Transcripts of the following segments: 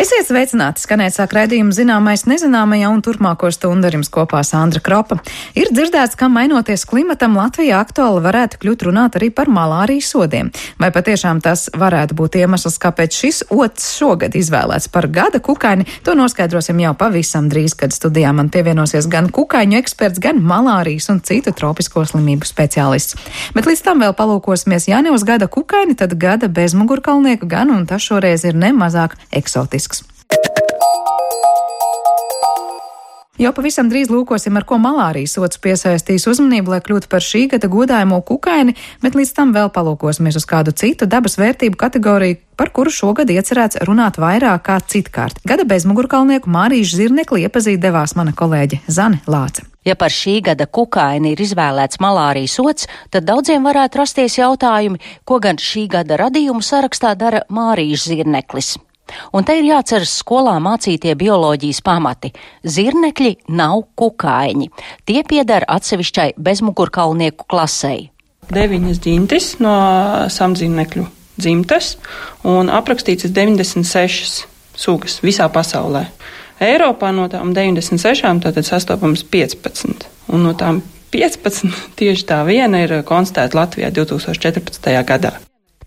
Esiet sveicināti, skanēt sāk raidījumu Zināmais nezināmajā un turpmāko stundu ar jums kopā Sandra Kropa. Ir dzirdēts, ka mainoties klimatam Latvijā aktuāli varētu kļūt runāt arī par malārijas sodiem. Vai patiešām tas varētu būt iemesls, kāpēc šis ots šogad izvēlēts par gada kukaini, to noskaidrosim jau pavisam drīz, kad studijā man pievienosies gan kukaiņu eksperts, gan malārijas un citu tropisko slimību speciālists. Bet līdz tam vēl palūkosimies, ja ne uz gada kukaini, tad gada bezmugurkalnieku gan, un tas šoreiz ir nemazāk eksotisks. Jau pavisam drīz lūkosim, ar ko malārijas ots piesaistīs uzmanību, lai kļūtu par šī gada godājumo kukaini, bet līdz tam vēl palūkosimies uz kādu citu dabas vērtību kategoriju, par kuru šogad iecerēts runāt vairāk kā citkārt. Gada bezmugurkalnieku Mārīšu zirnekli iepazīt devās mana kolēģe Zane Lāce. Ja par šī gada kukaini ir izvēlēts malārijas ots, tad daudziem varētu rasties jautājumi, ko gan šī gada radījumu sarakstā dara Mārīšu zirneklis. Un te ir jāceras skolā mācītie bioloģijas pamati. Zirnekļi nav kukaiņi. Tie pieder atsevišķai bezmugurkalnieku klasei. 9 ģintis no samdzirnekļu dzimtes un aprakstīts 96 sugas visā pasaulē. Eiropā no tām 96 tātad sastopams 15. Un no tām 15 tieši tā viena ir konstatēta Latvijā 2014. gadā.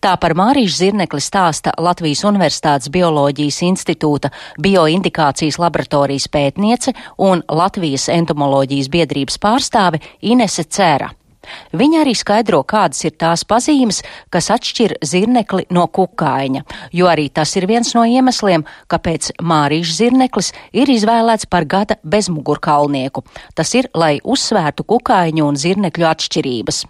Tā par Mārīšu zirnekli stāsta Latvijas Universitātes Bioloģijas institūta bioindikācijas laboratorijas pētniece un Latvijas entomoloģijas biedrības pārstāve Inese Cēra. Viņa arī skaidro, kādas ir tās pazīmes, kas atšķir zirnekli no kukaiņa, jo arī tas ir viens no iemesliem, kāpēc Mārīšu zirneklis ir izvēlēts par gada bezmugurkalnieku. Tas ir, lai uzsvērtu kukaiņu un zirnekļu atšķirības.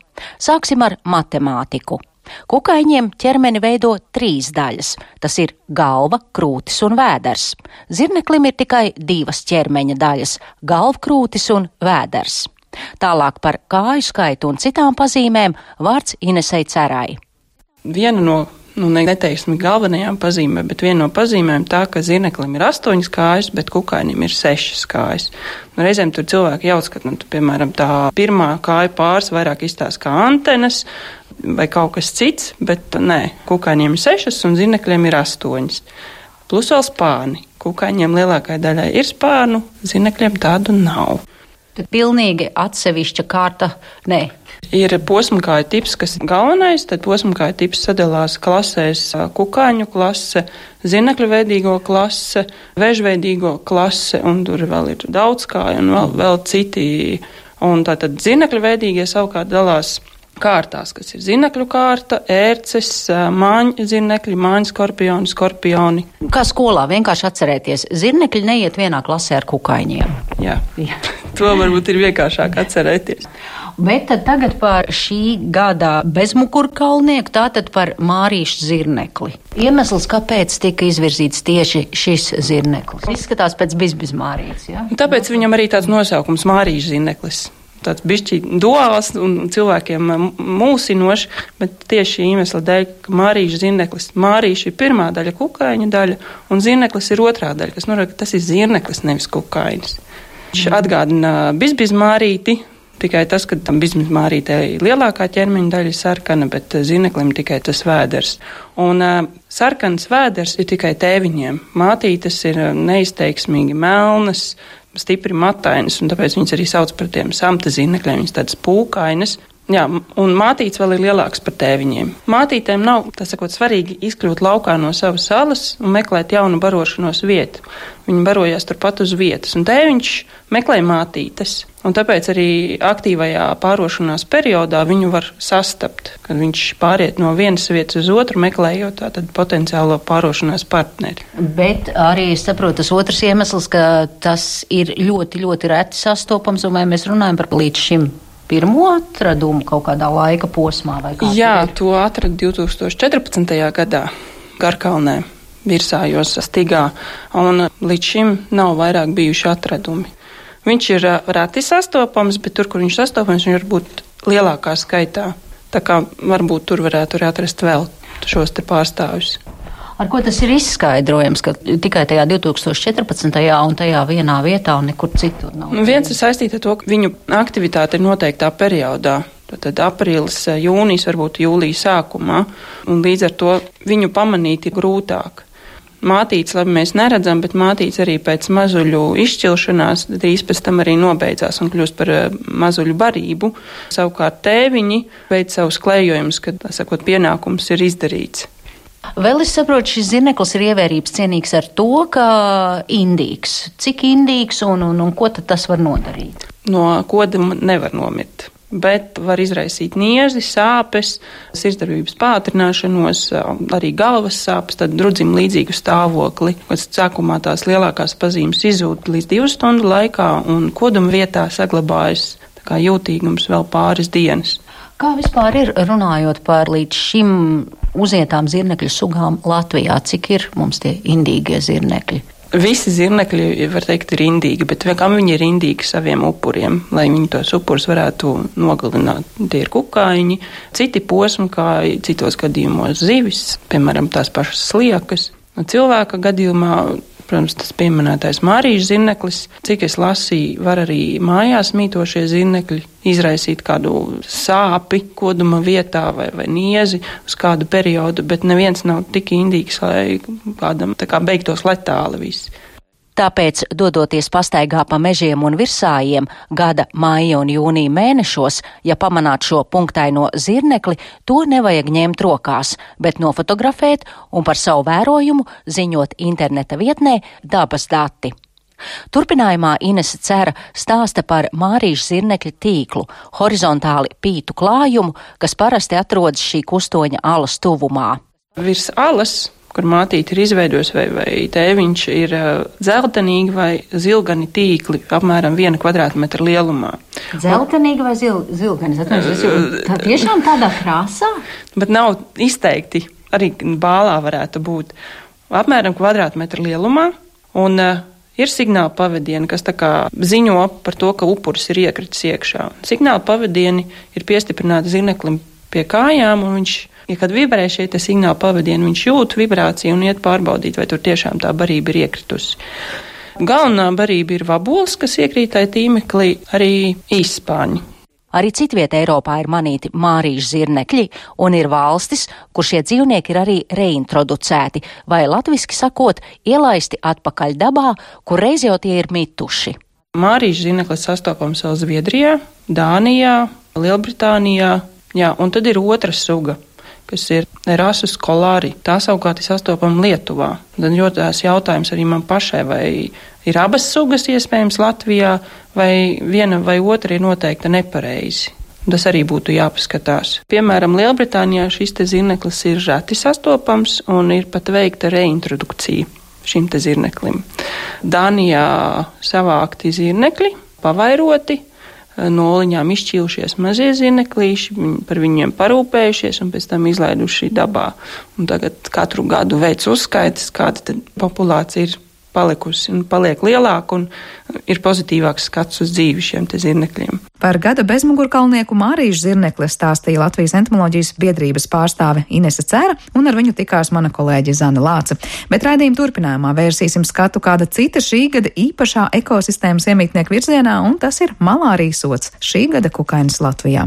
Sāksim ar matemātiku. Kukaiņiem ķermeni veido 3 daļas. Tas ir galva, krūtis un vēders. Zirneklim ir tikai 2 ķermeņa daļas - galvkrūtis un vēders. Tālāk par kāju skaitu un citām pazīmēm vārds Inesei Cerai. Viena no, neteiksim galvenajām pazīmēm, bet viena no pazīmēm tā, ka zirneklim ir 8 kājas, bet kukainim ir 6 kājas. Reizēm tur cilvēki jauc, ka, piemēram, tā pirmā kāja pāris vairāk izstāsta kā antenas vai kaut kas cits, bet nē, kukaiņiem ir 6 un zirnekļiem ir 8. Plus vēl spārni. Kukaiņiem lielākai daļai ir spārnu, zirnekļiem tādu nav. Tad pilnīgi atsevišķa kārta, nē. Ir posmkāju tips, kas ir galvenais, tad posmkāju tips sadalās klasēs kukaiņu klase, zirnekļu veidīgo klase, vežveidīgo klase, un tur vēl ir daudzkāju un vēl citi. Un tātad zirnekļu veidīgie savukārt dalās kārtās, kas ir zirnekļu kārta, ērces, māņu zirnekļi, māņu skorpioni. Kā skolā vienkārši atcerēties, zirnekļi neiet vienā klasē ar kukaiņiem. Jā. To varbūt ir vienkāršāk atcerēties. Bet tad tagad par šī gada bezmugurkalnieku, tātad par Mārīšu zirnekli. Iemesls, kāpēc tika izvirzīts tieši šis zirneklis? Izskatās pēc bizbizmārītes, ja? Tāpēc viņam arī tāds nosaukums Mārīšu zirneklis. Tāds bišķi duāls un cilvēkiem mūsinošs, bet tieši šī iemesla dēļ, ka Mārīšu zirneklis. Mārīša ir pirmā daļa, kukaiņa daļa, un zirneklis ir otrā daļa, kas norāda, ka tas ir zirneklis, nevis kukainis. Viņš atgādina bizbizmārīti, tikai tas, ka tam bizbizmārītei lielākā ķermeņa daļa ir sarkana, bet zirneklim tikai tas vēders. Un sarkans vēders ir tikai tēviņiem. Mātītes ir neizteiksmīgi melnas, stipri matainas, un tāpēc viņas arī sauc par tiem samta zirnekļiem, viņas tādas pūkainas. Jā, un mātītes vēl ir lielāks par tēviņiem. Mātītēm nav, tā sakot, svarīgi izkļūt laukā no savas salas un meklēt jaunu barošanos vietu. Viņi barojās turpat uz vietas, un tēviņš meklē mātītes. Un tāpēc arī aktīvajā pārošanās periodā viņu var sastapt, kad viņš pāriet no vienas vietas uz otru, meklējot tātad potenciālo pārošanās partneri. Bet arī, es saprotu, tas otrs iemesls, ka tas ir ļoti, ļoti reti sastopams, un vai mēs runājam par līdz šim pirmo atradumu kaut kādā laika posmā? Vai kā? Jā, to atrada 2014. gadā Garkalnē, Virsājos stigā, un līdz šim nav vairāk bijuši atradumi. Viņš ir reti sastopams, bet tur, kur viņš sastopams, viņš var būt lielākā skaitā. Tā kā varbūt tur varētu arī atrast vēl šos te pārstāvjus. Ar ko tas ir izskaidrojams, ka tikai tajā 2014. un tajā vienā vietā un nekur citur nav? Viens ir saistīts ar to, ka viņu aktivitāte ir noteiktā periodā. Tad aprīlis, jūnijas, varbūt jūlija sākumā, un līdz ar to viņu pamanīt ir grūtāk. Mātītes labi mēs neredzam, bet mātītes arī pēc mazuļu izšķilšanās drīz pēc tam arī nobeidzās un kļūst par mazuļu barību. Savukārt tēviņi veic savus klējojumus, kad, tā sakot, pienākums ir izdarīts. Vēl es saprotu, šis zirneklis ir ievērības cienīgs ar to, ka indīgs. Cik indīgs un ko tad tas var nodarīt? No koduma nevar nomirt, bet var izraisīt niezi, sāpes, sirdsdarbības pātrināšanos, arī galvas sāpes, tad drudzim līdzīgu stāvokli. Sākumā tās lielākās pazīmes izzūd līdz 2 stundu laikā un koduma vietā saglabājas tā kā jūtīgums vēl pāris dienas. Kā vispār ir runājot par līdz šim uzietām zirnekļu sugām Latvijā? Cik ir mums tie indīgie zirnekļi? Visi zirnekļi, var teikt, ir indīgi, bet kam viņi ir indīgi saviem upuriem, lai viņi tos upurus varētu nogalināt? Tie ir kukaiņi, citi posmkāji, citos gadījumos zivis, piemēram, tās pašas sliekas. Cilvēka gadījumā, protams, tas pieminētais mārīšu zirneklis, cik es lasīju, var arī mājās mītošie zirnekļi izraisīt kādu sāpi koduma vietā vai niezi uz kādu periodu, bet neviens nav tik indīgs, lai kādam tā kā beigtos letāli viss. Tāpēc, dodoties pastaigā pa mežiem un virsājiem gada maija un jūnija mēnešos, ja pamanāt šo punktaino zirnekli, to nevajag ņemt rokās, bet nofotografēt un par savu vērojumu ziņot interneta vietnē Dabas dati. Turpinājumā Inese Cera stāsta par mārīšu zirnekļa tīklu, horizontāli pītu klājumu, kas parasti atrodas šī kustoņa alas tuvumā. Virs alas, kur mātīte ir izveidojusi vai tēviņš, ir dzeltenīgi vai zilgani tīkli, apmēram 1 kvadrātmetra lielumā. Dzeltenīgi vai zilgani? Tā tiešām tādā krāsā? Bet nav izteikti, arī bālā varētu būt apmēram kvadrātmetra lielumā, un ir signāla pavadieni, kas tā kā ziņo par to, ka upuris ir iekritis iekšā. Signāla pavadieni ir piestiprināti zirneklim pie kājām, un viņš, ja kad vibrē šie signāla pavadieni, viņš jūt vibrāciju un iet pārbaudīt, vai tur tiešām tā barība ir iekritusi. Galvenā barība ir vabols, kas iekrītai tīmeklī, arī īsspāņi. Arī citvieta Eiropā ir manīti mārīšu zirnekļi, un ir valstis, kur šie dzīvnieki ir arī reintroducēti, vai latviski sakot, ielaisti atpakaļ dabā, kur reiz jau tie ir mituši. Mārīšu zirneklis sastopams vēl Zviedrijā, Dānijā, Lielbritānijā. Jā, un tad ir otra suga, kas ir Erasus kolāri. Tā savukārt ir sastopama Lietuvā. Tad ļoti tās jautājums arī man pašai, vai ir abas sugas iespējams Latvijā, vai viena vai otra ir noteikti nepareizi. Tas arī būtu jāpaskatās. Piemēram, Lielbritānijā šis te zirneklis ir reti sastopams un ir pat veikta reintrodukcija šim te zirneklim. Dānijā savākti zirnekļi, pavairoti, no oliņām izšķīlušies mazie zirneklīši, par viņiem parūpējušies un pēc tam izlaiduši dabā. Un tagad katru gadu veic uzskaitas, kāda tad populācija ir palikusi un paliek lielāka un ir pozitīvāks skats uz dzīvi šiem te zirnekļiem. Par gada bezmugurkalnieku mārīšu zirnekli stāstīja Latvijas entomoloģijas biedrības pārstāve Inese Cera, un ar viņu tikās mana kolēģe Zana Lāce. Bet raidījuma turpinājumā vērsīsim skatu kāda cita šī gada īpašā ekosistēmas iemītnieku virzienā, un tas ir malārijas sods šī gada kukainis Latvijā.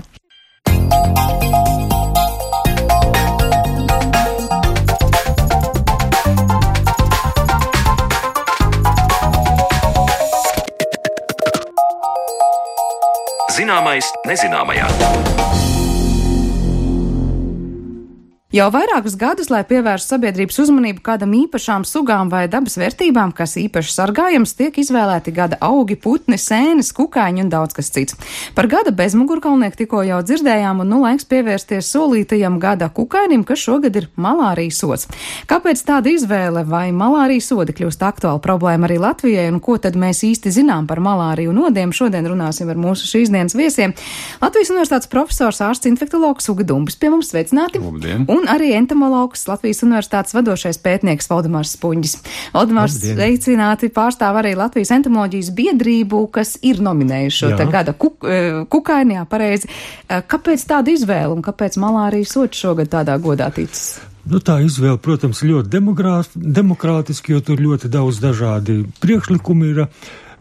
Zināmais nezināmajā. Jau vairākus gadus, lai pievērstu sabiedrības uzmanību kādam īpašām sugām vai dabas vērtībām, kas īpaši sargājams, tiek izvēlēti gada augi, putni, sēnes, kukaiņi un daudz kas cits. Par gada bezmugurkalnieku tikko jau dzirdējām, un laiks pievērsties solītajam gada kukainim, kas šogad ir malārijas sods. Kāpēc tāda izvēle, vai malārijas sodi kļūst aktuāla problēma arī Latvijai, un ko tad mēs īsti zinām par malāriju un nodiem? Šodien runāsim ar mūsu šīs dienas viesiem. Latvijas Universitātes profesors, ārsts infektologs Uga Dumbis pie mums, sveicināti. Labdien. Un arī entomologs, Latvijas Universitātes vadošais pētnieks Valdemārs Spunģis. Valdemārs, sveicināti, pārstāv arī Latvijas entomoloģijas biedrību, kas ir nominējuši šo te gada kukaini, jā, pareizi. Kāpēc tāda izvēle un kāpēc malārijas sods šogad tādā godā ticis? Nu, tā izvēle, protams, ļoti demokrātiski, jo tur ļoti daudz dažādi priekšlikumi ir,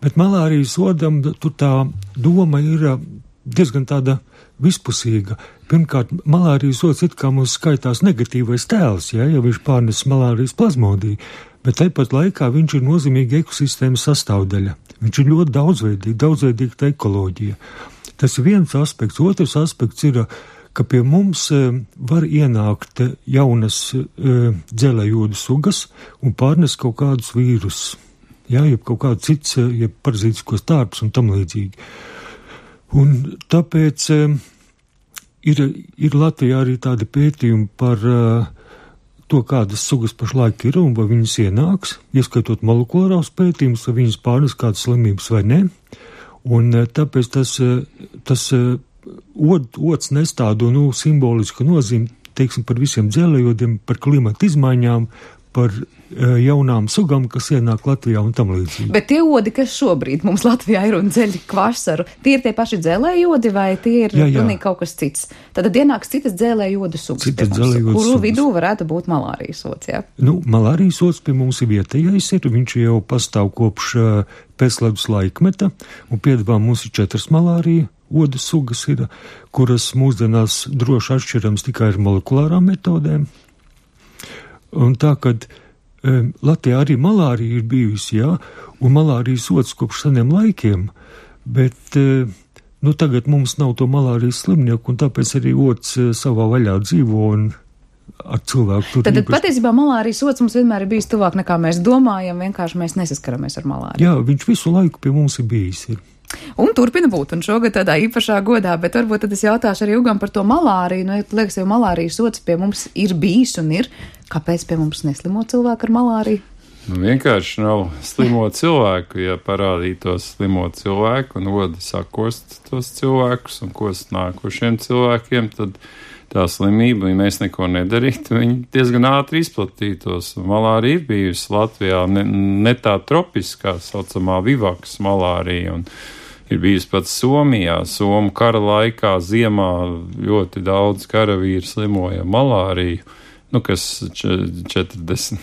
bet malārijas sodam tur tā doma ir diezgan tāda vispusīga. Pirmkārt, malārijas sods it kā mums skaitās negatīvais tēls, ja viņš pārnes malārijas plazmodiju, bet tāpat laikā viņš ir nozīmīga ekosistēmas sastāvdaļa. Viņš ir ļoti daudzveidīga tā ekoloģija. Tas ir viens aspekts. Otrs aspekts ir, ka pie mums var ienākt jaunas dzelējūdu sugas un pārnest kaut kādus vīrusus. Jā, jeb kaut kāds cits, jeb parazītiskos tārpus un tam līdzīgi. Un tāpēc ir Latvijā arī tādi pētījumi par to, kādas sugas pašlaik ir un vai viņas ienāks, ieskaitot molekulārās pētījumus, vai viņas pārnes kādas slimības vai ne. Un tāpēc tas ods nes tādu, simbolisku nozīmi, teiksim, par visiem dzelējodiem, par klimata izmaiņām, par jaunām sugām, kas ienāk Latvijā un tam līdzīgi. Bet tie odi, kas šobrīd mums Latvijā ir un dzeļ kvasaru, tie ir tie paši dzelējodi vai tie ir pilnīgi kaut kas cits? Tad ienāks citas dzelējodu sugas, kuru vidū varētu būt malārijas ods, jā? Malārijas ods pie mums ir vietējais, viņš jau pastāv kopš pēcledus laikmeta, un piedāvā mums ir 4 malārija odu sugas, kuras mūsdienās droši atšķirams tikai ar molekulārām metodēm. Un tā, kad Latvijā arī malārija ir bijusi, jā, un malārijas ods kopš seniem laikiem, bet tagad mums nav to malārijas slimnieku, un tāpēc arī ods savā vaļā dzīvo un ar cilvēku tur. Tad patiesībā malārijas ods mums vienmēr ir bijis tuvāk nekā mēs domājam, vienkārši mēs nesaskaramies ar malāriju. Jā, viņš visu laiku pie mums ir bijis. Un turpina būt, un šogad tādā īpašā godā, bet varbūt tad es jautāšu arī Ugam par to malāriju. Liekas, jau malārijas ods pie mums ir bijis un ir. Kāpēc pie mums neslimo cilvēku ar malāriju? Vienkārši nav slimo cilvēku. Ja parādītos slimo cilvēku un odi sakost tos cilvēkus un kost nākošiem cilvēkiem, tad tā slimība, ja mēs neko nedarītu, viņi diezgan ātri izplatītos. Malārija ir bijusi Latvijā ne tā tropiskā, saucamā vivaks malārija, un ir bijusi pat Somijā. Somu kara laikā ziemā ļoti daudz karavīru slimoja malāriju, kas 40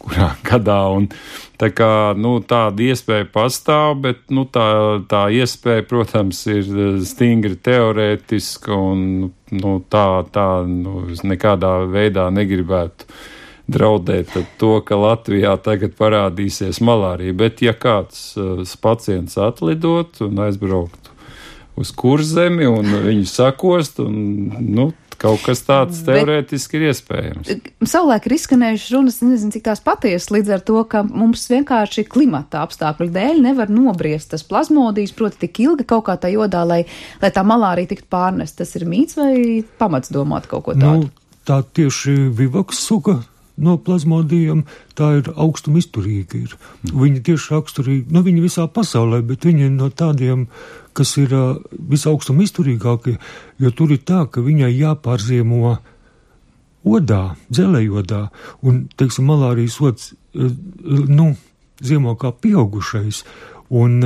kurā gadā, un tā kā, tāda iespēja pastāv, bet, tā iespēja, protams, ir stingri teorētiska, un, es nekādā veidā negribētu draudēt to, ka Latvijā tagad parādīsies malārija, bet ja kāds pacients atlidot un aizbraukt uz Kurzemi, un viņu sakost, un, kaut kas tāds teorētiski ir iespējams. Savulaik ir izskanējušas runas, nezinu, cik tās patiesas, līdz ar to, ka mums vienkārši klimata apstākļu dēļ nevar nobriest tas plazmodijs, proti tik ilgi kaut kā tā jodā, lai tā malārija tiktu pārnest. Tas ir mīts vai pamats domāt kaut ko tādu? Tā tieši vivaks suga no plazmodijiem, tā ir augstuma izturīga. Viņi tieši raksturīgi, viņi visā pasaulē, bet viņi no tādiem, kas ir visaugstuma izturīgākie, jo tur ir tā, ka viņai jāpārziemo odā, dzelējodā, un, teiksim, malārijas ods, ziemo kā pieaugušais, un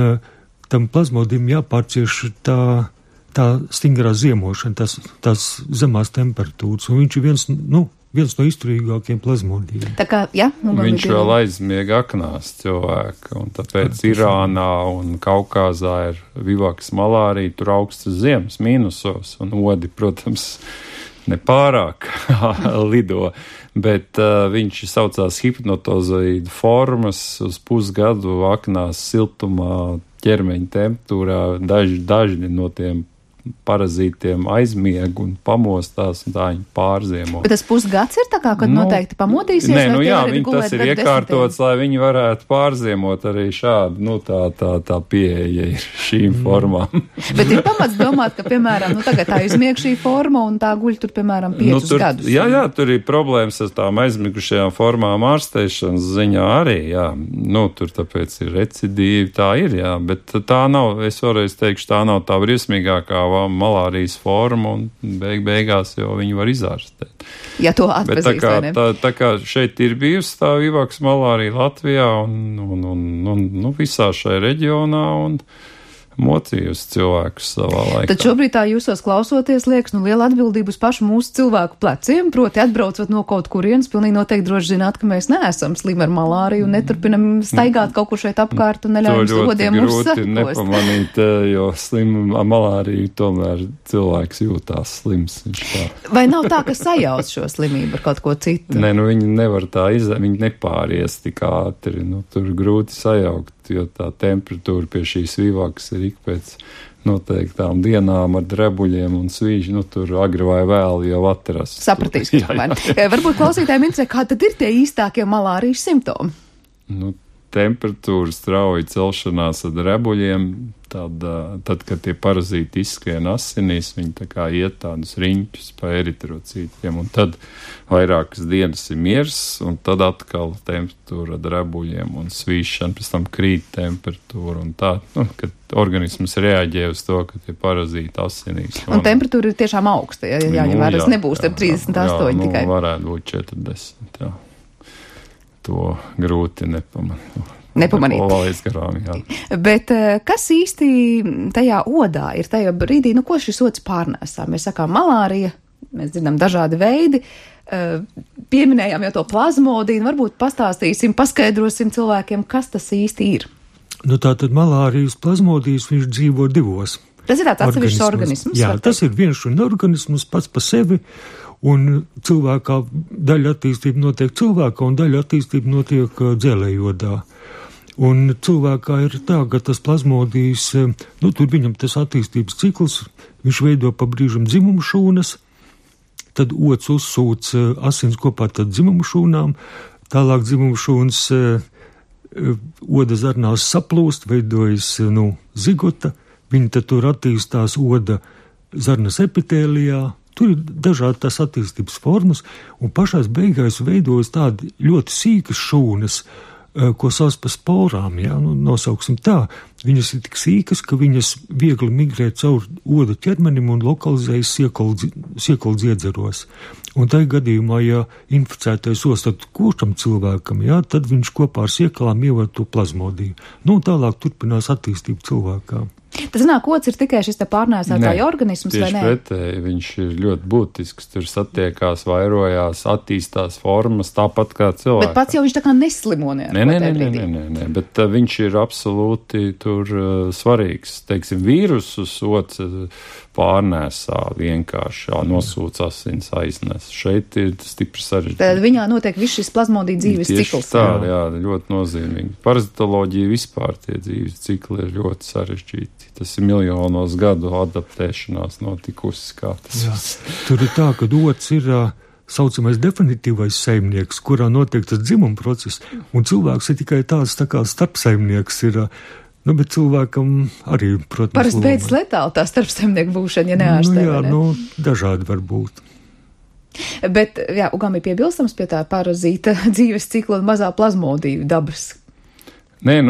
tam plazmodim jāpārcieš tā stingrā ziemošana, tās zemās temperatūras, un viņš ir viens no izturīgākiem plazmodijiem. Tā kā, jā, viņš vēl aizmiega aknās cilvēku, un tāpēc Irānā un Kaukāzā ir vivaks malārija, tur augstas ziemas mīnusos, un odi, protams, nepārāk lido, bet viņš saucās hipnotozoīdu formas uz pusgadu aknās siltumā, ķermeņa temperatūrā, daži no tiem parazītiem aizmieg un pamostās, un tā viņi pārziemo. Bet tas pusgads ir tā kā, kad noteikti pamodīsies? Nē, tas ir iekārtots, lai viņi varētu pārziemot arī šādu, tā pieeja ir šīm formām. Bet ir pamats domāt, ka, piemēram, tagad tā izmieg šī forma un tā guļ tur, piemēram, 5 gadus. Jā, tur ir problēmas ar tām aizmigušajām formām ārsteišanas ziņā arī, jā. Tur tāpēc ir recidīvi, tā ir, jā, bet tā nav, es vēlreiz teikšu, tā nav tā briesmīgākā malārijas forma, un beigās jau viņi var izārstēt. Ja to atpazīst, vai ne? Tā kā šeit ir bijusi tā vivaks malārija Latvijā un visā šai reģionā, un mocījusi cilvēkus savā laikā. Tad šobrīd tā jūsos klausoties liekas, liela atbildība uz pašu mūsu cilvēku pleciem, proti atbraucot no kaut kurienes, pilnīgi noteikti droši zināt, ka mēs neesam slimi ar malāriju un neturpinam staigāt kaut kur šeit apkārt un neļaujam slodiem mūs sakost. To ļoti grūti nepamanīt, jo slim ar malāriju tomēr cilvēks jūtās slims. Vai nav tā, ka sajauc šo slimību ar kaut ko citu? Nē, viņi nevar tā viņi nepāries tik ātri, tur grūti sajaukt, jo tā temperatūra pie šīs vīvākas ir ik pēc noteiktām dienām ar drebuļiem un svīži, tur agri vai vēl jau atrast. Sapratīs, ka varbūt klausītājiem interesē, kā tad ir tie īstākie malārijas simptomi? Temperatūra strauji celšanās ar drebuļiem, tad, kad tie parazīti izskrien asinīs, viņi tā kā iet tādus riņķus pa eritrocītiem, un tad vairākas dienas ir miers, un tad atkal temperatūra ar drebuļiem un svīšana, pēc tam krīt temperatūra, un tā, kad organisms reaģē uz to, ka tie parazīti asinīs. Un temperatūra ir tiešām augsta, jāņem nebūs 38 tikai. Varētu būt 40, jā. To grūti nepamanīt. Garām, Bet kas īsti tajā odā ir tajā brīdī, ko šis ods pārnēsā? Mēs sakām malārija, mēs dzirdam dažādi veidi, pieminējām jau to plazmodiju, varbūt pastāstīsim, paskaidrosim cilvēkiem, kas tas īsti ir. Tātad malārijas plazmodijas viņš dzīvo divos. Tas ir tāds atsevišķs organisms? Jā, tas ir viens un organisms pats pa sevi. Un cilvēkā daļa attīstība notiek cilvēkā un daļa attīstība notiek dzelējodā. Un cilvēkā ir tā, ka tas plazmodijas, tur viņam tas attīstības cikls, viņš veido pa brīžam dzimumu šūnas, tad ods uzsūc asins kopā tad dzimumu šūnām, tālāk dzimumu šūnas oda zarnās saplūst, veidojas zigota, viņi tad tur attīstās oda zarnas epitēlijā. Tur ir dažādi tās attīstības formas, un pašās beigās veidojas tādi ļoti sīkas šūnas, ko sauc par sporām, nosauksim tā. Viņas ir tik sīkas, ka viņas viegli migrē caur oda ķermenim un lokalizējas siekolu dziedzeros. Un tajā gadījumā, ja inficētais ostat košam cilvēkam, tad viņš kopā ar siekalām ievar to plazmodiju. Tālāk turpinās attīstība cilvēkā. Tas nāk, ods ir tikai šis te pārnēsātāja organisms, vai ne? Tieši pretēji, viņš ir ļoti būtisks, tur satiekās, vairojās, attīstās formas, tāpat kā cilvēks. Bet pats jau viņš tā kā neslimo Nē, bet viņš ir absolūti tur svarīgs. Teiksim, vīrusus ods pārnēsā vienkārši, nosūc asins aiznes. Šeit ir stipri sarežģīti. Tad viņā notiek viss šis plazmodija dzīves cikls. Tā, jā, ļoti nozīmīgi. Parazitoloģija vispār tie dzīves cikli ir ļoti sarežģīti. Tas ir miljonos gadu adaptēšanās notikusi, kā tas. Jā. Tur ir tā, ka ods ir saucamais definitīvais saimnieks, kurā notiek tas dzimuma process, un cilvēks ir tikai tāds tā kā starpsaimnieks ir, bet cilvēkam arī, protams, parasti beidz letāli tā starpsaimnieku būšana, ja neārstē, vai ne? Dažādi var būt. Bet, Ugam ir piebilstams pie tā parazīta dzīves cikla un mazā plazmodiju dabas. Nē,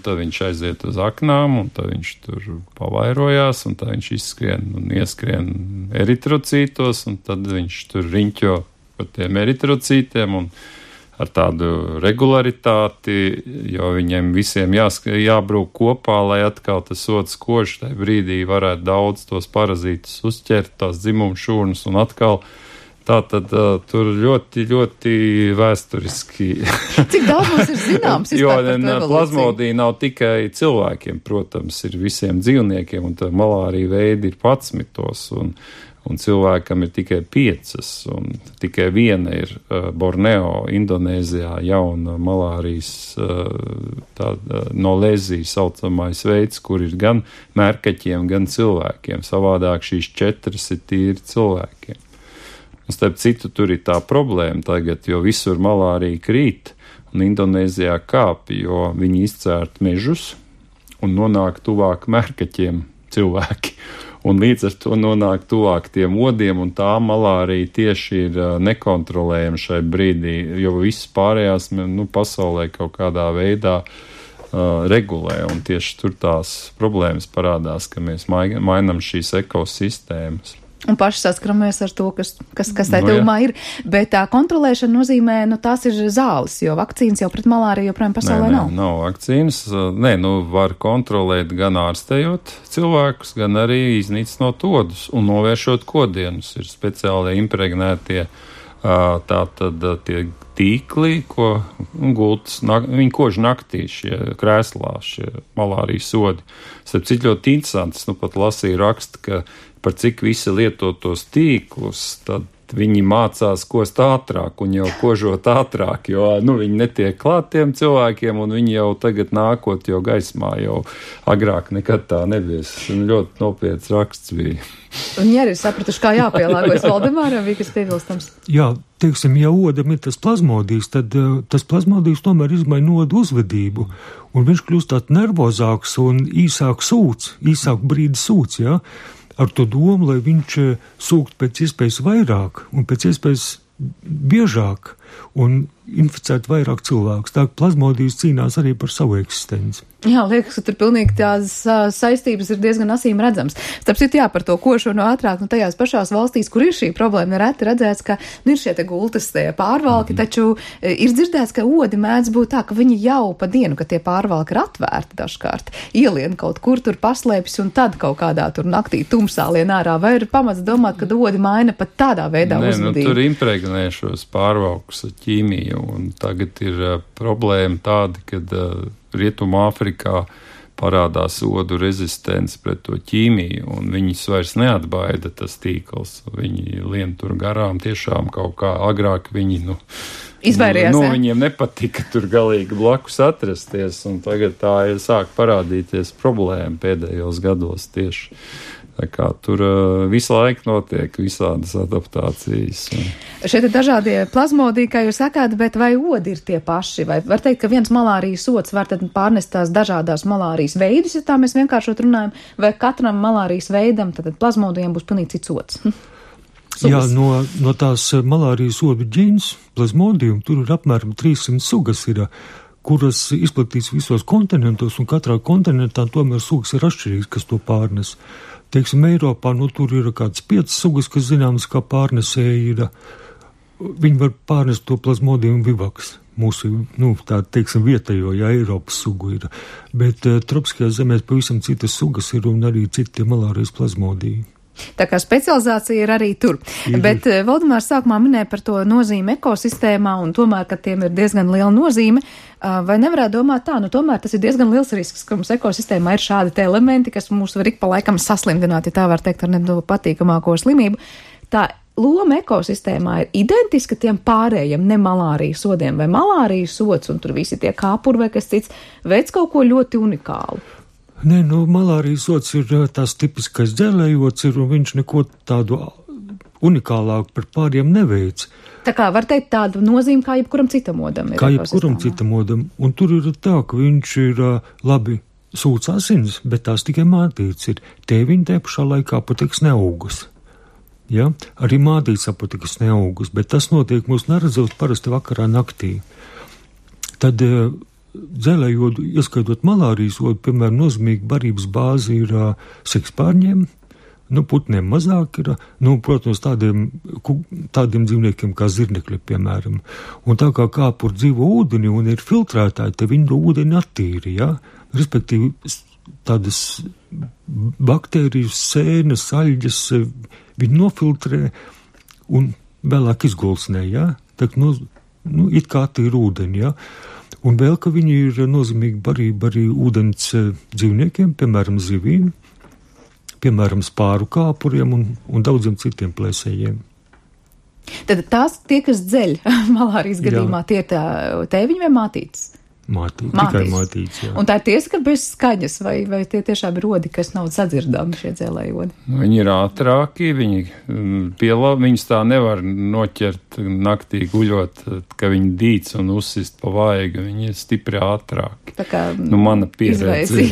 tad viņš aiziet uz aknām, un tad viņš tur pavairojās, un tad viņš izskrien un ieskrien eritrocītos, un tad viņš tur riņķo par tiem eritrocītiem, un ar tādu regularitāti, jo viņiem visiem jābrūk kopā, lai atkal tas ods koš, tajā brīdī varētu daudz tos parazītus uzķert, tās dzimumu šūnas, un atkal tātad tur ļoti, ļoti vēsturiski. Cik daudz mums ir zināms? Jo plazmodija nav tikai cilvēkiem, protams, ir visiem dzīvniekiem, un tā malārija veidi ir 11, un cilvēkam ir tikai 5, un tikai viena ir Borneo, Indonēzijā, jauna malārijas no lezijas saucamais veids, kur ir gan mērkaķiem, gan cilvēkiem. Savādāk šīs 4 ir tīri cilvēkiem. Un starp citu, tur ir tā problēma tagad, jo visur malārija krīt un Indonēzijā kāp, jo viņi izcērt mežus un nonāk tuvāk mērkaķiem cilvēki. Un līdz ar to nonāk tuvāk tiem odiem, un tā malārija tieši ir nekontrolējama šai brīdī, jo viss pārējās pasaulē kaut kādā veidā regulē, un tieši tur tās problēmas parādās, ka mēs mainam šīs ekosistēmas. Un paši saskaramies ar to, kas tā tuvumā ir. Bet tā kontrolēšana nozīmē, tās ir zāles, jo vakcīnas jau pret malāriju joprojām pasaulē nav. Nav vakcīnas. Var kontrolēt gan ārstējot cilvēkus, gan arī iznīcinot odus un novēršot kodienus. Ir speciāli impregnētie tātad tie tīkli, ko gultas, viņi kož naktī šie krēslā, šie malārijas sodi. Starp citu ļoti interesants, pat lasīju rakstu, ka par cik visi lieto tos tīklus, tad viņi mācās kost ātrāk un jau kožot ātrāk, jo viņi netiek klāt tiem cilvēkiem un viņi jau tagad nākot jau gaismā, jau agrāk nekad tā nebies. Ļoti nopietns raksts bija. Un ja arī sapratuši, kā jāpielāgojas Valdemāram, bija kas piebilstams? Jā, teiksim, ja odam ir tas plazmodijs, tad tas plazmodijs tomēr izmaina odu uzvedību, un viņš kļūst tāds nervozāks un īsāk brīdi sūc, jā, ar to domu, lai viņš sūkt pēc iespējas vairāk un pēc iespējas biežāk un inficēt vairāk cilvēkus. Tā plazmodijs cīnās arī par savu eksistenci. Jā, liekas, ka tur pilnīgi tās saistības ir diezgan acīm redzams. Starp citu, par to košanu ātrāk, tajās pašās valstīs, kur ir šī problēma, nereti redzēts, ka ir šie te gultas pārvalki, taču ir dzirdēts, ka odi mēdz būt tā, ka viņi jau pa dienu, ka tie pārvalki ir atvērti dažkārt, ielien kaut kur tur paslēpjas un tad kaut kādā tur naktī tumsā lien ārā, vai ir pamats domāt, ka odi maina pat tādā veidā uzvedību? Tur impregnē šos pārvalkus ar ķīmiju, un tagad ir problēma tāda, kad Rietumā Afrikā parādās odu rezistence pret to ķīmiju, un viņus vairs neatbaida tas tīkls. Viņi lien tur garām tiešām kaut kā agrāk viņi, izvairījās, viņiem nepatika tur galīgi blakus atrasties, un tagad tā ir sāk parādīties problēma pēdējos gados tieši. Tā kā tur visu laiku notiek visādas adaptācijas. Šeit ir dažādie plazmodiji, kā jūs sakāt, bet vai odi ir tie paši? Vai var teikt, ka viens malārijas sots var tad pārnest tās dažādās malārijas veidus, ja tā mēs vienkāršot runājam, vai katram malārijas veidam tad plazmodijiem būs pilnīgi cits sots? Jā, no tās malārijas odu ģīns, plazmodijum, tur ir apmēram 300 sugas ir, kuras izplatīts visos kontinentos, un katrā kontinentā tomēr sugas ir atšķirīgs, kas to pārnes. Teiksim, Eiropā, tur ir kāds 5 sugas, kas zināmas kā pārnesēji ir. Viņi var pārnest to plazmodium vivaks, mūsu, tā teiksim, vietējo, Eiropas sugu ir. Bet tropiskajās zemēs pavisam citas sugas ir un arī citi malārijas plazmodiji. Tā kā specializācija ir arī tur. Bet Valdemārs sākumā minēja par to nozīmi ekosistēmā un tomēr, ka tiem ir diezgan liela nozīme. Vai nevarētu domāt tā, tomēr tas ir diezgan liels risks, ka mums ekosistēmā ir šādi te elementi, kas mūs var ik pa laikam saslimdināt, ja tā var teikt, ar nepatīkamāko slimību. Tā loma ekosistēmā ir identiska tiem pārējiem ne malārijas sodiem vai malārijas sods, un tur visi tie kāpuri vai kas cits, veids kaut ko ļoti unikālu. Nē, malārijas sods ir tās tipiskais dzēlējots ir, un viņš neko tādu unikālāku par pāriem neveic. Tā kā var teikt tādu nozīmi, kā jebkuram citam odam ir. Kā jebkuram citam odam, un tur ir tā, ka viņš ir labi sūc asins, bet tās tikai mātīts ir. Tēviņi te pašā laikā patiks neaugus. Ja? Arī mātīts apatikas neaugus, bet tas notiek mūs neredzot parasti vakarā naktī. Tad dzēlējodu, ieskaitot malārijas odu, piemēram, nozīmīga barības bāze ir sekspārņiem, putniem mazāk ir, protams, tādiem dzīvniekiem kā zirnekļi, piemēram. Un tā kā kāpur dzīvo ūdeni un ir filtrētāji, te viņi ūdeni attīri, ja? Respektīvi, tādas baktērijas, sēnes, aļģes, viņi nofiltrē un vēlāk izgulsnē, ja? Tā, it kā attīri ūdeni, ja? Un vēl, ka viņi ir nozīmīga barība arī ūdens dzīvniekiem, piemēram, zivīm, piemēram, spāru kāpuriem un daudziem citiem plēsējiem. Tad tās tie, kas dzeļ malārijas gadījumā, tie ir tēviņi vai mātītes? Tikai mātītes, jā. Un tā ir tiesa, ka bez skaņas, vai tie tiešām ir odi, kas nav sadzirdami šie dzēlēji odi? Viņi ir ātrāki, viņus tā nevar noķert naktī guļot, ka viņi dīc un uzsist pa vaigu, viņi ir stipri ātrāki. Tā kā mana pieredze.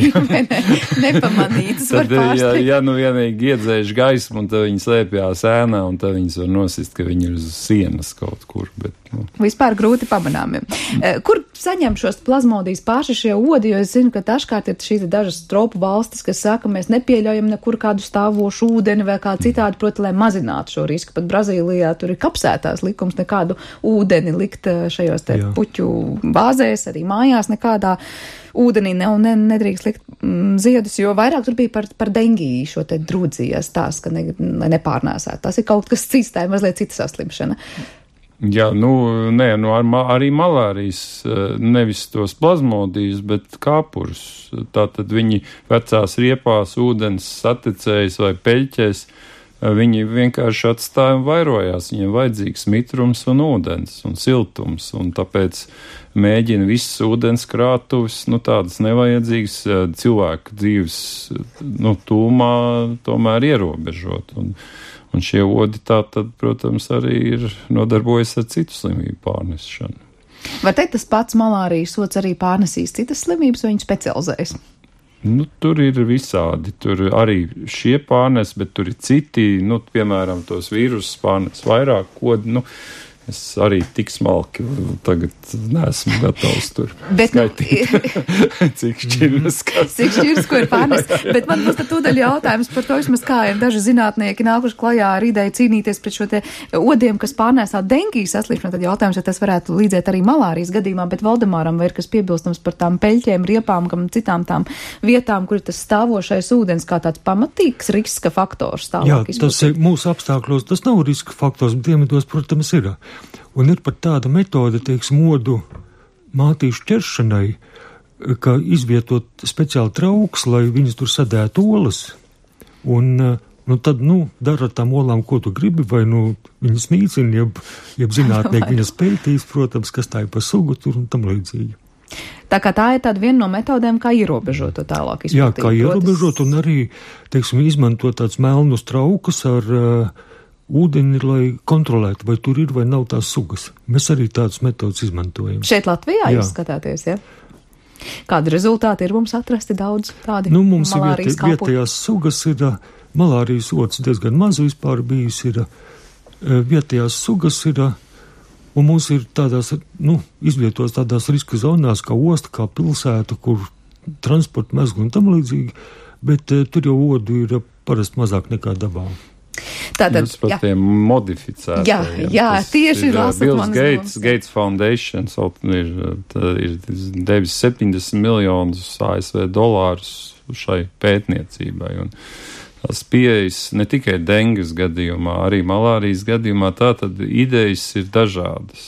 Nepamanītas var pārsteigt. Ja vienīgi iedzēš gaismu, un tad viņi slēpjās ēnā, un tad viņas var nosist, ka viņi ir uz sienas kaut kur, bet. Vispār grūti pamanāmi. Kur saņem šos plazmodijas paši šie odi, jo es zinu, ka dažkārt ir šīs dažas tropu valstis, kas saka, mēs nepieļaujam nekur kādu stāvošu ūdeni vai kā citādi, proti, lai mazinātu šo risku. Pat Brazīlijā tur ir kapsētās likums nekādu ūdeni likt šajos te puķu bāzēs, arī mājās nekādā ūdenī nedrīkst likt ziedus, jo vairāk tur bija par dengiju šo te drūdzijas tās, ka lai nepārnēsētu. Tas ir kaut kas cits, tā ir mazliet cita saslimšana. Jā, arī malārijas, nevis tos plazmodijas, bet kāpurus. Tātad viņi vecās riepās, ūdens saticējas vai peļķēs, viņi vienkārši atstāja un vairojās. Viņiem vajadzīgs mitrums un ūdens un siltums, un tāpēc mēģina visas ūdenskrātuves, tādas nevajadzīgas cilvēku dzīves, tūmā tomēr ierobežot. Un šie odi tātad, protams, arī ir nodarbojas ar citu slimību pārnesšanu. Var teikt, tas pats malārijas ods arī pārnesīs citas slimības, vai viņi specializējas? Tur ir visādi. Tur arī šie pārnes, bet tur ir citi, piemēram, tos vīrusus pārnes vairāk kodi. Es arī tik smalki tagad neesmu gatavs tur skaitīt, cik šķiras, ko ir pārnest. Bet man būs tad tūdaļ jautājums par to, vismaz kā ir daži zinātnieki nākuši klajā ar ideju cīnīties pret šo te odiem, kas pārnēsā dengijas saslimšanu. Tad jautājums, ja tas varētu līdzēt arī malārijas gadījumā, bet Valdemāram vai ir kas piebilstams par tām peļķēm, riepām, kam citām tām vietām, kur ir tas stāvošais ūdens kā tāds pamatīgs riska faktors tālāk izplatīt? Jā, tas ir mūsu apstākļos, tas nav riska faktors, bet dienvidos, protams, ir. Un ir pat tāda metode, odu mātīšu ķeršanai, ka izvietot speciāli trauks, lai viņas tur sadētu olas. Un tad, dara ar tām olām, ko tu gribi, vai viņas nīcina, jeb zinātnieki viņas pētīs, protams, kas tā ir pa sugu tur un tam līdzīgi. Tā kā tā ir tāda viena no metodēm, kā ierobežot to tālāk izplatīt. Jā, kā ierobežot un arī, izmantot tāds melnus traukus ar ūdeni, lai kontrolētu, vai tur ir vai nav tās sugas. Mēs arī tādas metodas izmantojam. Šeit Latvijā jūs skatāties, ja? Kādi rezultāti ir mums atrasti daudz tādi mums malārijas ir vietējās sugas, ir malārijas ods diezgan maz vispār bijis, ir vietējās sugas, ir, un mums ir tādās, izvietos tādās riska zonās, kā osta, kā pilsēta, kur transporta mezgli un tam līdzīgi, bet tur jau odu ir parasti mazāk nekā dabā. Tātad, jūs par tiem modificētajiem. Jā, tieši Bills Gates Foundation ir devis 70 miljonus ASV dolārus šai pētniecībai. Un tās pieejas ne tikai dengas gadījumā, arī malārijas gadījumā, tātad idejas ir dažādas.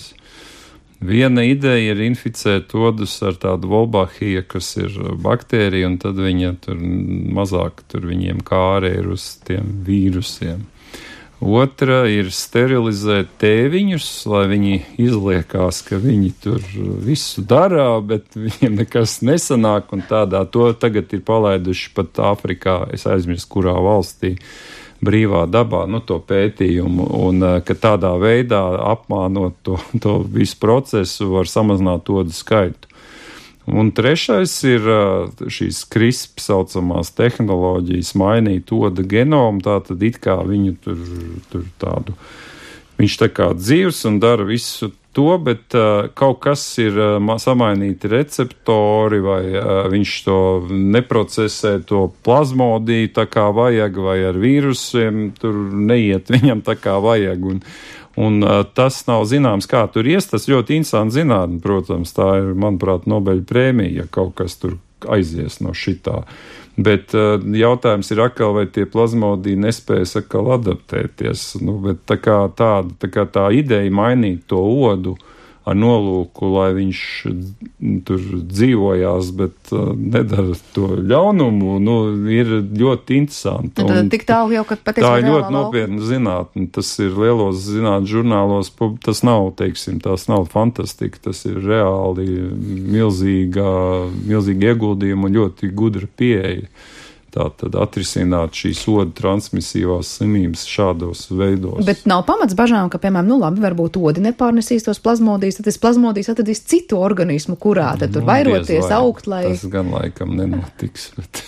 Viena ideja ir inficēt odus ar tādu Wolbachia, kas ir baktērija, un tad viņa tur mazāk viņiem kāre ir uz tiem vīrusiem. Otra ir sterilizēt tēviņus, lai viņi izliekās, ka viņi tur visu dara, bet viņiem nekas nesanāk, un to tagad ir palaiduši pat Āfrikā, es aizmirstu, kurā valstī, brīvā dabā, to pētījumu, un ka tādā veidā apmānot to visu procesu var samazināt odu skaitu. Un trešais ir šīs CRISPR saucamās tehnoloģijas mainīt oda genomu, tātad it kā viņu tur tādu, viņš tā kā dzīvs un dara visu to, bet kaut kas ir samainīti receptori, vai viņš to neprocesē, to plazmodiju tā kā vajag, vai ar vīrusiem tur neiet viņam tā kā vajag, un tas nav zināms, kā tur ies, tas ļoti interesanti zinātni, protams, tā ir, manuprāt, Nobeļa prēmija, ja kaut kas tur aizies no šitā. Bet jautājums ir atkal, vai tie plazmodiji nespējas atkal adaptēties, bet tā kā tā ideja mainīt to odu ar nolūku, lai viņš tur dzīvojās, bet nedara to ļaunumu, ir ļoti interesanti. Tik tālu jau, ka patiesībā tā ir ļoti nopietna zinātne. Tas ir lielos zinātnes žurnālos, tas nav, tās nav fantastika, tas ir reāli milzīgi ieguldījumi un ļoti gudra pieeja. Tātad atrisināt šīs odu transmisīvās slimības šādos veidos. Bet nav pamats bažām, ka, piemēram, labi, varbūt odi nepārnesīs tos plazmodijas, tad tas plazmodijas atradīs citu organismu, kurā tad tur vairoties, augt, lai... Tas gan laikam nenotiks, bet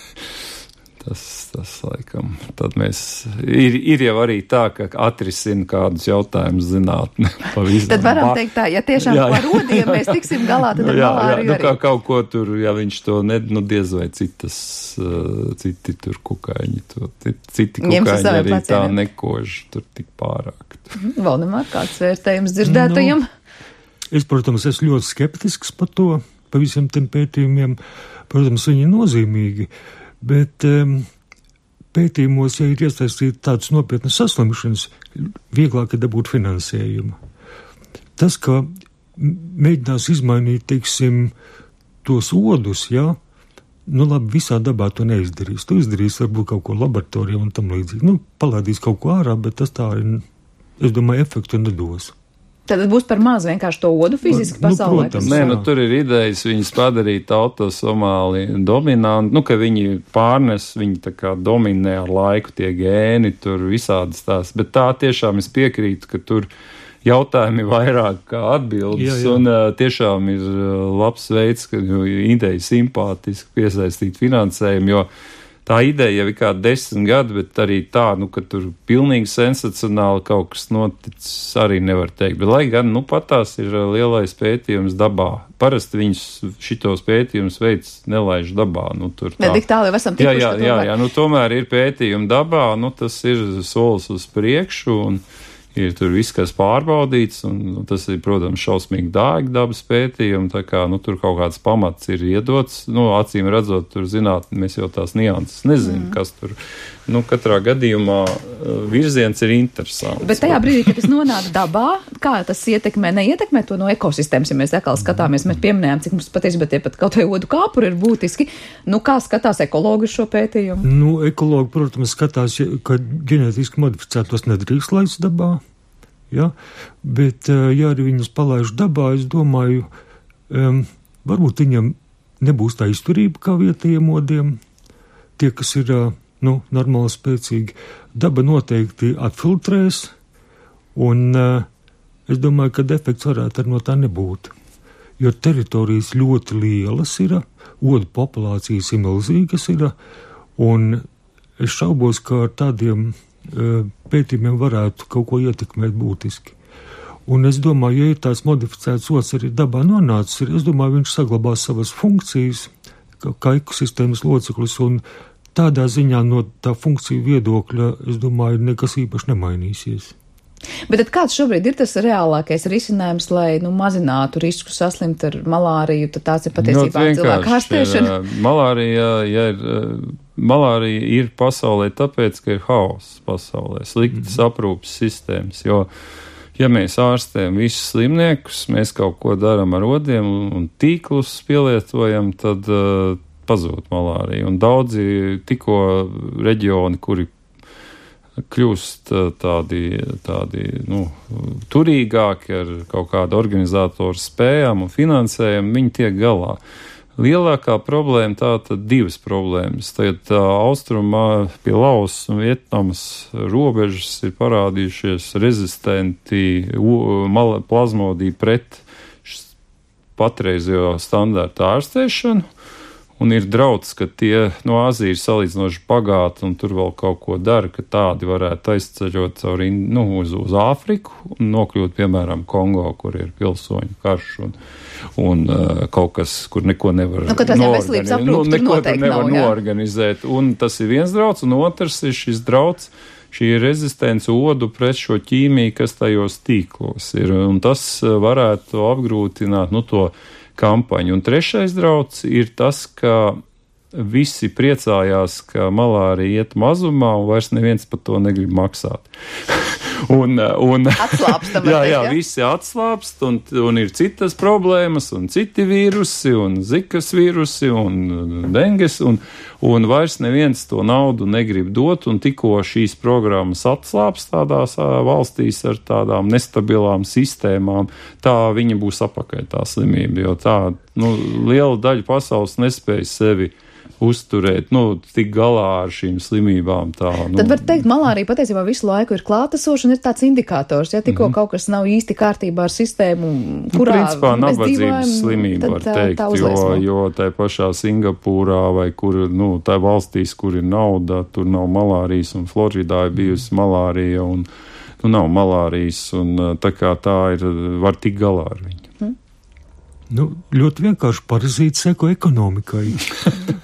Tas laikam. Tad ir jau arī tā, ka atrisina kādus jautājumus zinātne. Tad varam teikt tā, ja tiešām par rodiem mēs tiksim galā, tad ar malāriju arī. Kā kaut ko tur, ja viņš to diez vai citi tur kukaiņi, citi kukaiņi arī tā nekož, tur tik pārāk. Valdemār, kāds vērtējums dzirdētajam? Es, protams, esmu ļoti skeptisks par to, par visiem tiem pētījumiem. Protams, viņi ir nozīmīgi. Bet pētījumos, ja ir iesaistīti tādas nopietnas saslimšanas, vieglāk ir dabūt finansējumu. Tas, ka mēģinās izmainīt, teiksim, tos odus, labi, visā dabā to neizdarīs. Tu izdarīs varbūt kaut ko laboratorijā un tam līdzīgi. Palādīs kaut ko ārā, bet tas tā ir, es domāju, efektu nedos. Tad būs par maz vienkārši to odu fiziski pasaulē. Protams, tur ir idejas viņas padarīt autosomāli dominanti, ka viņi pārnes, viņi tā kā dominē ar laiku tie gēni, tur visādas tās, bet tā tiešām es piekrītu, ka tur jautājumi vairāk kā atbildes, un tiešām ir labs veids, ka ideja simpātiski piesaistīt finansējumu, jo tā ideja jau ir kā 10 gadi, bet arī tā, ka tur pilnīgi sensacionāli kaut kas noticis, arī nevar teikt. Bet, lai gan, pat tās ir lielais pētījums dabā. Parasti viņus šitos pētījumus veids nelaiž dabā. Tik tālu jau esam tikuši. Jā, tomēr ir pētījumi dabā, tas ir solis uz priekšu, un ir tur viss, kas pārbaudīts, un tas ir, protams, šausmīgi dārgi dabas pētījumi, tā kā, tur kaut kāds pamats ir iedots, acīm redzot, tur zinātni, mēs jau tās nianses nezinām, kas tur, katrā gadījumā virziens ir interesants. Bet tajā brīdī, kad tas nonāk dabā, kā tas neietekmē to no ekosistēmas, ja mēs atkal skatāmies, mēs pieminējām, cik mums patiesībā tie pat kaut vai odu kāpuri ir būtiski, kā skatās ekologi šo pētījumu? Ekologi, protams, skatās, ka ģenētiski modificētos nedrīkst laist dabā. Bet, ja arī viņus palaiž dabā, es domāju, varbūt viņam nebūs tā izturība kā vietējiem odiem. Tie, kas ir, normāli spēcīgi, daba noteikti atfiltrēs, un es domāju, ka defekts varētu arī no tā nebūt. Jo teritorijas ļoti lielas ir, odu populācijas ir milzīgas ir, un es šaubos, ka ar tādiem pētījumiem varētu kaut ko ietekmēt būtiski. Un es domāju, ja ir tāds modificēts ods arī dabā nonācis, es domāju, viņš saglabās savas funkcijas, kā ekosistēmas loceklis, un tādā ziņā no tā funkciju viedokļa, es domāju, nekas īpaši nemainīsies. Bet tad kāds šobrīd ir tas reālākais risinājums, lai mazinātu risku saslimt ar malāriju, tad tāds ir patiesībā cilvēku ārstēšana? Malārija ir pasaulē tāpēc, ka ir haoss pasaulē, sliktas aprūpes sistēmas, jo, ja mēs ārstējam visus slimniekus, mēs kaut ko darām ar odiem un tīklus pielietojam, tad pazūd malārija. Un daudzi tikko reģioni, kuri kļūst tādi turīgāki ar kaut kādu organizatoru spējām un finansējumu, viņi tiek galā. Lielākā problēma tātad divas problēmas. Tagad austrumā pie Laosas un Vietnamas robežas ir parādījušies rezistenti plazmodiji pret patreizējo standārtu ārstēšanu. Un ir drauds, ka tie no Āzijas salīdzinoši bagāti un tur vēl kaut ko dara, ka tādi varētu aizceļot uz Āfriku un nokļūt, piemēram, Kongo, kur ir pilsoņu karš un kaut kas, kur neko nevar noorganizēt. Un tas ir viens drauds, un otrs ir šis drauds, šī rezistence odu pret šo ķīmiju, kas tajos tīklos ir. Un tas varētu apgrūtināt to kampaņu. Un trešais drauds ir tas, ka visi priecājās, ka malārija iet mazumā un vairs neviens par to negrib maksāt. Atslāpstam. Jā, visi atslāpst un ir citas problēmas un citi vīrusi un zikas vīrusi un denges un vairs neviens to naudu negrib dot un tikko šīs programmas atslāpst tādās valstīs ar tādām nestabilām sistēmām, tā viņa būs apakaļ tā slimība, jo tā liela daļa pasaules nespēja sevi uzturēt, tik galā ar šīm slimībām tā. Tad var teikt, malārija patiesībā visu laiku ir klātesoša un ir tāds indikators, ja tikko kaut kas nav īsti kārtībā ar sistēmu, kurā principā mēs nabadzības dzīvojam, slimība var teikt, tā uzliesmo. jo tā pašā Singapūrā vai kur, tā valstīs, kur ir nauda, tur nav malārijas, un Floridā ir bijusi malārija, un nav malārijas, un tā kā tā ir, var tik galā ar viņu. Ļoti vienkārši parazīti seko ekonomikai.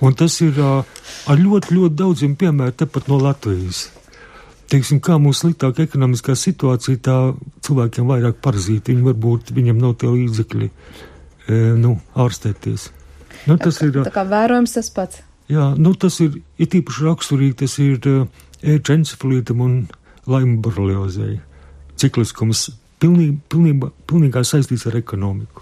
Un tas ir ar ļoti, ļoti daudziem piemēram tepat no Latvijas. Teiksim, kā mūsu sliktāka ekonomiskā situācija, tā cilvēkiem vairāk parazīti. Viņam nav tie līdzekļi, ārstēties. Tas ir tā kā vērojams tas pats. Jā, tas ir tīpaši raksturīgi, tas ir encefalītam un Laima boreliozei. Cikliskums pilnīgā saistīts ar ekonomiku.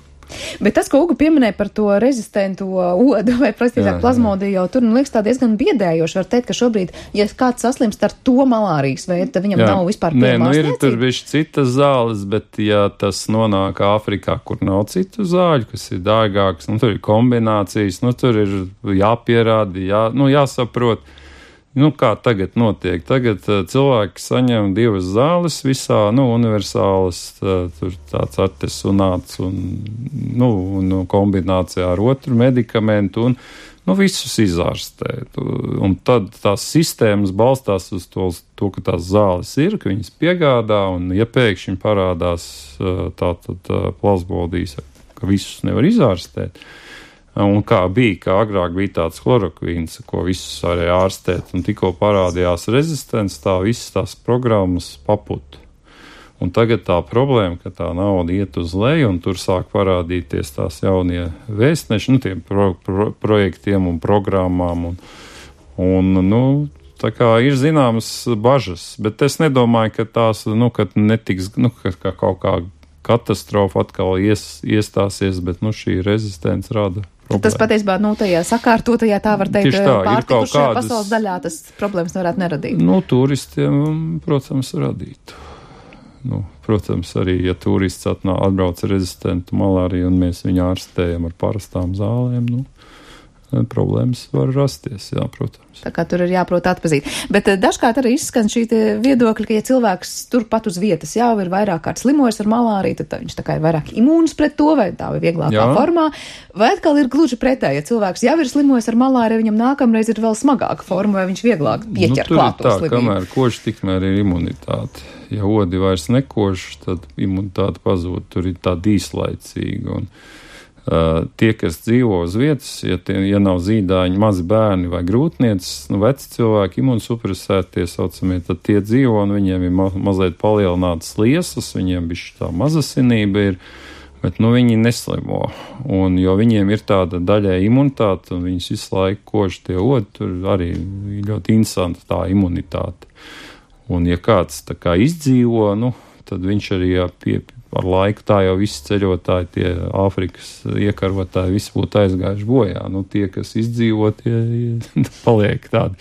Bet tas, ko Uga pieminēja par to rezistento odu vai plazmodiju, jau tur, liekas, tā diezgan biedējoši. Var teikt, ka šobrīd, ja kāds saslimst ar to malārijas veidu, tad viņam nav vispār pieejama ārstniecība. Ir tur bišķi citas zāles, bet ja tas nonāk Āfrikā, kur nav citu zāļu, kas ir dārgākas, tur ir kombinācijas, tur ir jāpierāda, jāsaprot. Kā tagad notiek? Tagad cilvēki saņem 2 zāles visā, universālas, tur tāds artesunāts un kombinācijā ar otru medikamentu un, visus izārstē. Un tad tās sistēmas balstās uz to, ka tās zāles ir, ka viņas piegādā, un ja pēkšņi parādās tātad plazmodijas, ka visus nevar izārstēt. Un kā agrāk bija tāds chlorokvīns, ko visus varēja ārstēt, un tikko parādījās rezistents, tā visas tās programmas paputa. Un tagad tā problēma, ka tā nauda iet uz leju, un tur sāk parādīties tās jaunie vēstneši, tiem projektiem un programmām, tā kā ir zināmas bažas, bet es nedomāju, ka tās, kad netiks, ka kaut kā katastrofa atkal iestāsies, bet, šī rezistence rada problēma. Tas patiesībā, tajā sakārtotajā, tā var teikt, pārtikušajā pasaules daļā tas problēmas nevarētu neradīt. Turistiem, protams, radītu. Protams, arī, ja turists atbrauc rezistentu malāriju un mēs viņu ārstējam ar parastām zālēm, problēmas var rasties, jā, protams. Tā kā tur ir jāprot atpazīt. Bet dažkārt arī izskan šī viedokļa, ka ja cilvēks turpat uz vietas jau ir vairāk kārt slimojis ar malāriju, tad viņš tā kā ir vairāk imūns pret to, vai tā ir vieglākā formā. Vai atkal ir gluži pretēji, ja cilvēks jau ir slimojis ar malāriju, viņam nākamreiz ir vēl smagāka forma, vai viņš vieglāk pieķer klāt to slimību? Kamēr kož, tikmēr ir imunitāte. Ja odi vairs nekož, tad imunitāte pazūd, tur ir tāda īslaicīga. Tie, kas dzīvo uz vietas, ja nav zīdāņi, mazi bērni vai grūtniecis, veci cilvēki, imunsupresētie saucamie, tad tie dzīvo un viņiem ir mazliet palielinātas liesas, viņiem bišķi tā mazasinība ir, bet viņi neslimo. Un jo viņiem ir tāda daļai imunitāte un viņus visu laiku kož tie odi, tur arī ļoti interesanta tā imunitāte. Un ja kāds tā kā izdzīvo, tad viņš arī ar laiku tā jau visi ceļotāji, tie Āfrikas iekarotāji, visi būtu aizgājuši bojā. Tie, kas izdzīvo, tie paliek tādi.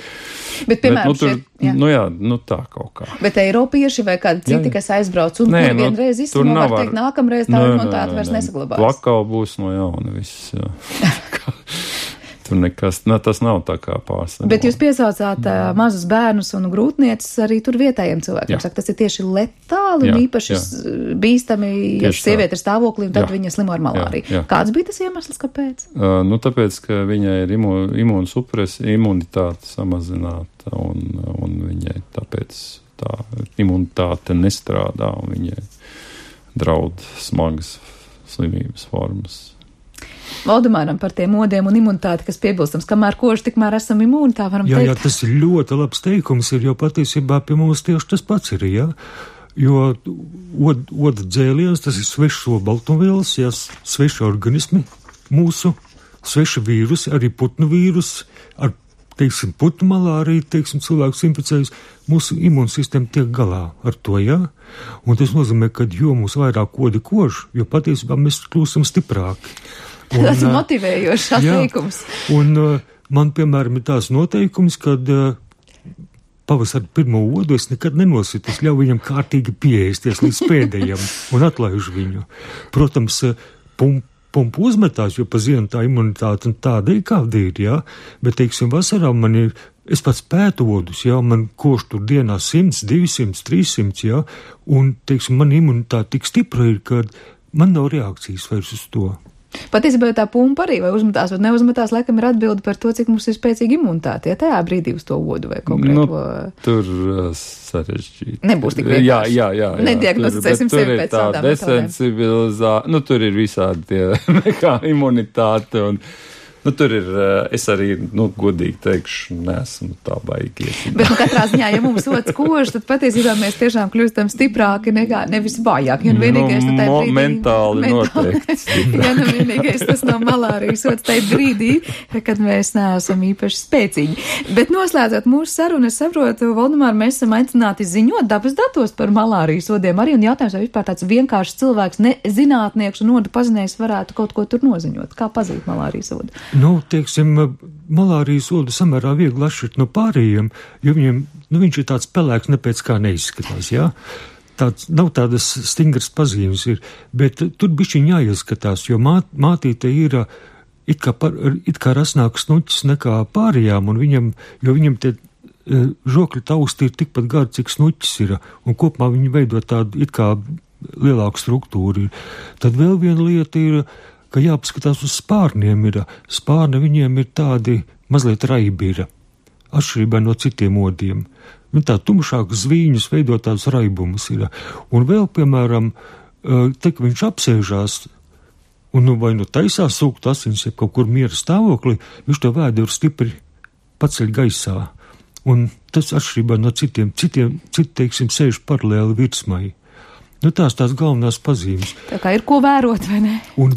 Bet, piemēram, tā kaut kā. Bet eiropieši vai kādi citi, kas aizbrauc un kur vienreiz izslimo, var teikt, nākamreiz tā imunitāte vairs nesaglabās. Plakau būs no jauna viss, jā. Tur nekas, tas nav tā kā pārsvarā. Bet jūs piesaucāt mazus bērnus un grūtniecis arī tur vietējiem cilvēkiem. Saka, tas ir tieši letāli un īpaši bīstami, ja sieviete ir stāvoklī un tad viņa slimo ar malāriju. Kāds bija tas iemesls, kāpēc? Tāpēc, ka viņai ir imunitāte samazināta un viņai tāpēc tā imunitāte nestrādā un viņai draud smagas slimības formas. Valdemāram par tiem odiem un imunitāti, kas piebilstams, kamēr kož, tikmēr esam imūni, tā varam teikt. Jā, tas ir ļoti labs teikums, jo patiesībā pie mums tieši tas pats ir, jā. Jo oda dzēliens, tas ir svešs olbaltumvielas, jā, sveši organismi mūsu, sveši vīrusi, arī putnu vīrusi, ar, teiksim, putnu malāriju, teiksim, cilvēkus inficējus, mūsu imūnsistēma tiek galā ar to, jā. Un tas nozīmē, ka jo mūs vairāk odi kož, jo patiesībā mēs kļūstam stiprāki. Tas ir motivējošs atteikums. Un man, piemēram, ir tās noteikums, kad pavasarī pirmo odu es nekad nenositu, es ļauju viņam kārtīgi pieēsties līdz pēdējam un atlaižu viņu. Protams, pumpu uzmetās, jo pa ziemu tā imunitāte tāda ir, kāda ir, jā, bet, teiksim, vasarā man ir, es pats pētu odus, jā, man koš tur dienā 100, 200, 300, jā, un, teiksim, man imunitāte tik stipra ir, ka man nav reakcijas vairs uz to. Patiesībā tā pumpa arī vai uzmetās vai neuzmetās, laikam ir atbildi par to, cik mums ir spēcīga imunitāte, ja tajā brīdī uz to odu vai konkrēto. Tur sarežģīti. Nebūs tik vienkārši. Jā. Nediagnosticēsim sevi pēc tādām desensibilizācija, tur ir visādi tie nekā imunitāte un. Tur ir, es arī, godīgi teikšu, neesmu tā baigies. Bet, katrā ziņā, ja mums ods kož, tad patiesībā mēs tiešām kļūstam stiprāki nekā, nevis vājāki. Un vienīgais, mentāli noteikti. Ja, vienīgais tas nav malārijas ods tajā brīdī, kad mēs neesam īpaši spēcīgi. Bet noslēdzot mūsu sarunu, es saprotu, Valdemār, mēs esam aicināti ziņot dabas datos par malārijas odiem arī, un jautājums, vai vispār tāds vienkāršs cilvēks, ne zinātnieks un odu pazinējs varētu kaut ko tur noziņot. Kā pazīt malārijas odu? Teiksim, malārijas odu samērā viegli atšķirt no pārējiem, jo viņiem, viņš ir tāds pelēks, nepēc kā neizskatās, jā. Nav tādas stingras pazīmes ir, bet tur bišķiņ jāieskatās, jo mātīte ir it kā rasnāks snuķis nekā pārējām, un viņam te žokļu tausti ir tikpat gari, cik snuķis ir, un kopumā viņi veido tādu it kā lielāku struktūru. Tad vēl viena lieta ir, ka jāpaskatās uz spārniem spārni viņiem ir tādi mazliet raibi atšķirībā no citiem odiem. Tā tumšākas zvīņas veido tādus raibumus Un vēl, piemēram, te, ka viņš apsēžās un vai taisās sūkt asins, ja kaut kur miera stāvoklī, viņš to vēduru stipri paceļ gaisā. Un tas atšķirībā no citi, teiksim, sēž paralēli virsmai. Tās galvenās pazīmes. Tā kā ir ko vērot, vai ne? Un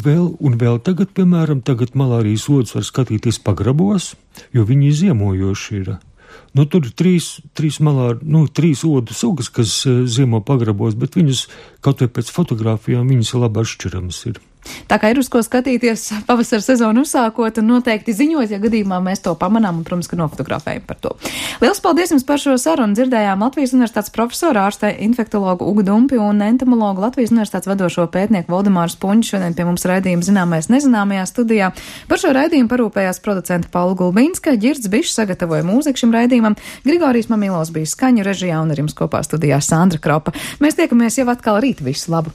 vēl tagad, piemēram, malārijas odus var skatīties pagrabos, jo viņi ziemojoši ir. Tur ir trīs odu sugas, kas ziemo pagrabos, bet viņas, kaut vai pēc fotogrāfijām, viņas labi atšķiramas ir. Tā kā ir uz ko skatīties pavasara sezonu uzsākot un noteikti ziņot, ja gadījumā mēs to pamanām un, protams, ka nofotografējam par to. Liels paldies jums par šo sarunu. Dzirdējām Latvijas Universitātes profesoru, ārstē infektologu Ugu Dumpi un entomologu Latvijas Universitātes vadošo pētnieku Valdemāru Spunģi šodien pie mums raidījuma Zināmais nezināmajā studijā. Par šo raidījumu parūpējās producenta Paula Gulbīnska, Ģirds Bišs sagatavoja mūziku šim raidījumam, Grigorijs Mamilovs bija skaņu režijā un ar jums kopā studijā Sandra Kropa. Mēs tiekamies jau atkal rīt. Visu labu!